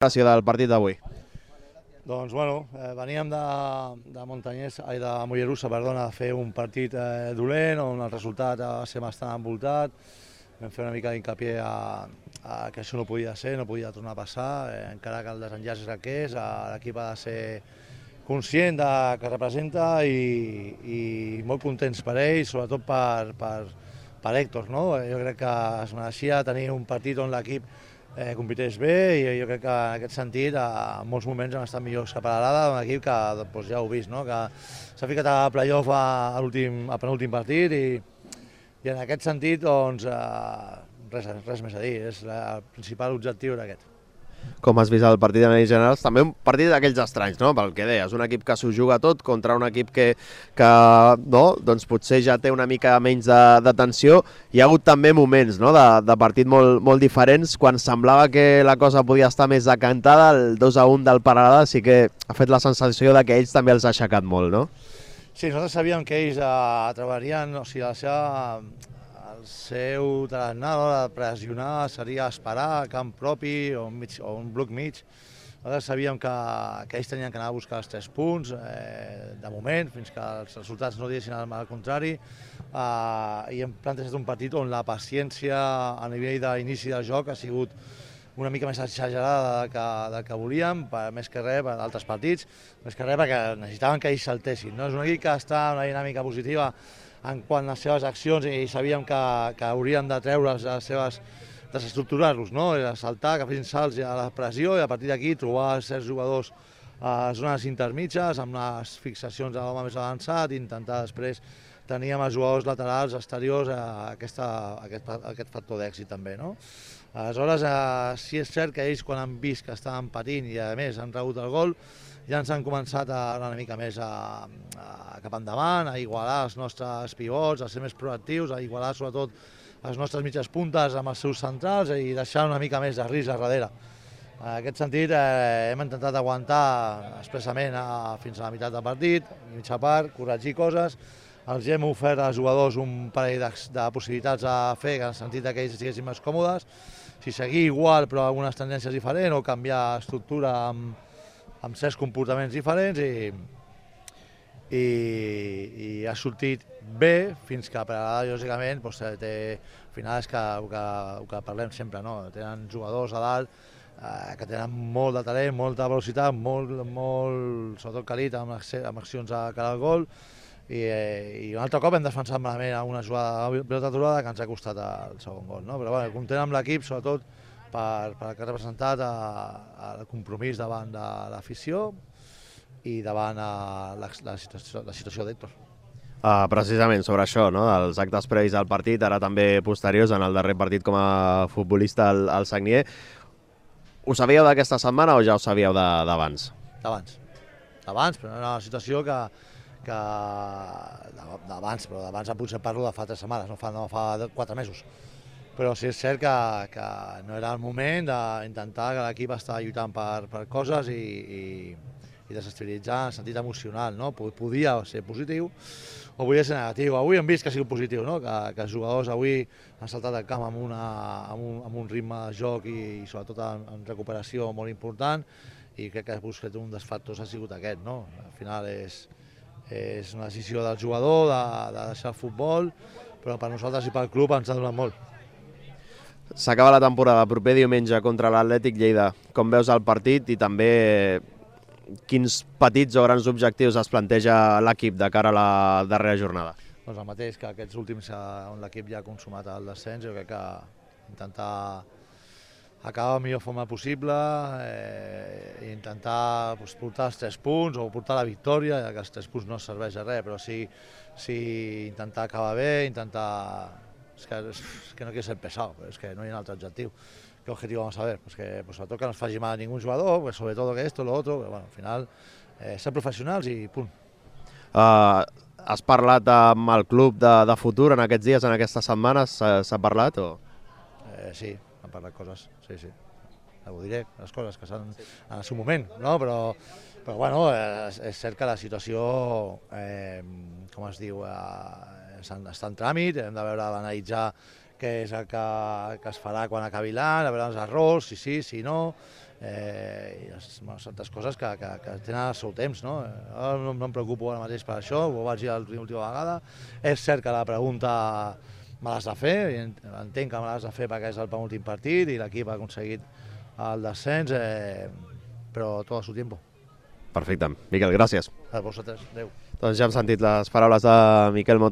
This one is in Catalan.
Gràcies del partit d'avui. Doncs, bueno, veníem de Mollerussa, perdona, a fer un partit dolent, on el resultat va ser bastant envoltat. Vam fer una mica d'incapié que això no podia ser, no podia tornar a passar, encara que el desenllaç és el que és, l'equip ha de ser conscient de que representa i molt contents per ell, sobretot per Héctor, no? Jo crec que es mereixia tenir un partit on l'equip compités bé i jo crec que en aquest sentit en molts moments hem estat millors que per l'Arada, un equip que doncs, ja heu vist, no? Que s'ha ficat a playoff al penúltim partit i en aquest sentit doncs, res més a dir, el principal objectiu era aquest. Com has vist el partit en generals, també un partit d'aquells estranys, no? Pel que deies, un equip que s'ho juga tot contra un equip que no, doncs potser ja té una mica menys de tensió. Hi ha hagut també moments, no? de partit molt diferents, quan semblava que la cosa podia estar més decantada, el 2-1 del Peralada sí que ha fet la sensació de que ells també els ha aixecat molt, no? Sí, nosaltres sabíem que ells treballarien, o sigui, el seu tarannà de pressionar seria esperar a camp propi o un bloc mig. Nosaltres sabíem que ells tenien que anar a buscar els 3 punts, de moment, fins que els resultats no diguessin al contrari, i hem plantejat un partit on la paciència a nivell d'inici del joc ha sigut una mica més exagerada del que volíem, més que res per altres partits, més que res perquè necessitaven que ells saltessin. No? És un equip que està en una dinàmica positiva en quant a les seves accions i sabíem que haurien de treure's les seves, desestructurar-los, no? Saltar, que fessin salts a la pressió i a partir d'aquí trobar certs jugadors a zones intermitges amb les fixacions de l'home més avançat i intentar després tenir amb els jugadors laterals exteriors aquest factor d'èxit també, no? Aleshores, sí és cert que ells quan han vist que estaven patint i a més han rebut el gol, ja ens han començat a anar una mica més cap endavant, a igualar els nostres pivots, a ser més proactius, a igualar sobretot les nostres mitges puntes amb els seus centrals i deixar una mica més de risc a darrere. En aquest sentit hem intentat aguantar expressament fins a la meitat del partit, mitja part, corregir coses, els hem ofert als jugadors un parell de possibilitats a fer en el sentit que ells estiguessin més còmodes, si seguir igual però amb algunes tendències diferents o canviar estructura amb certs comportaments diferents i ha sortit bé fins que per ara, lògicament, al final és el que parlem sempre, no? Tenen jugadors a dalt que tenen molt de talent, molta velocitat, sobretot calit amb accions a cara al gol i un altre cop hem defensat malament una jugada de pilota aturada que ens ha costat el segon gol, no? Però bueno, content amb l'equip, sobretot per que ha representat el compromís davant de l'afició i davant la situació d'Héctor. Precisament sobre això, no? Els actes previs al partit, ara també posteriors en el darrer partit com a futbolista al Sagnier. Ho sabíeu d'aquesta setmana o ja ho sabíeu d'abans? D'abans, però era una situació d'abans, però d'abans potser parlo de fa 3 setmanes, no fa 4 mesos. Però sí és cert que no era el moment d'intentar que l'equip està lluitant per coses i desestabilitzar en el sentit emocional, no? Podia ser positiu o podia ser negatiu. Avui hem vist que ha sigut positiu, no? Que els jugadors avui han saltat al camp amb un ritme de joc i sobretot en recuperació molt important i crec que un dels factors ha sigut aquest, no? Al final és una decisió del jugador de deixar el futbol, però per nosaltres i pel club ens ha donat molt. S'acaba la temporada, proper diumenge contra l'Atlètic Lleida. Com veus el partit i també quins petits o grans objectius es planteja l'equip de cara a la darrera jornada? Doncs el mateix que aquests últims on l'equip ja ha consumat el descens, jo crec que intentar acabar de la millor forma possible i intentar portar els 3 punts o portar la victòria, ja que els 3 punts no serveix de res, però sí intentar acabar bé, És que no quiero ser pesado, pero es que no hay un altre objectiu. ¿Qué objetivo vamos a ver? Pues sobretot que no es faci mal a ningún jugador, pues sobre todo que esto, lo otro, pero bueno, al final ser professionals i punt. Has parlat amb el club de futur en aquests dies, en aquestes setmanes? S'ha parlat o...? Sí, han parlat coses, sí. Ho diré, les coses que s'han en el seu moment, no? Però bueno, és cert que la situació, com es diu, està en tràmit, hem de veure, d'analitzar què és el que es farà quan acabi l'any, a veure els errors, si sí, si no, certes coses que tenen el seu temps, no? No em preocupo ara mateix per això, ho vaig dir l'última vegada. És cert que la pregunta me l'has de fer, entenc que me l'has de fer perquè és el penúltim partit i l'equip ha aconseguit el descens, però tot a su tiempo. Perfecte. Miquel, gràcies. A vosaltres, adeu. Doncs ja hem sentit les paraules de Miquel Montero.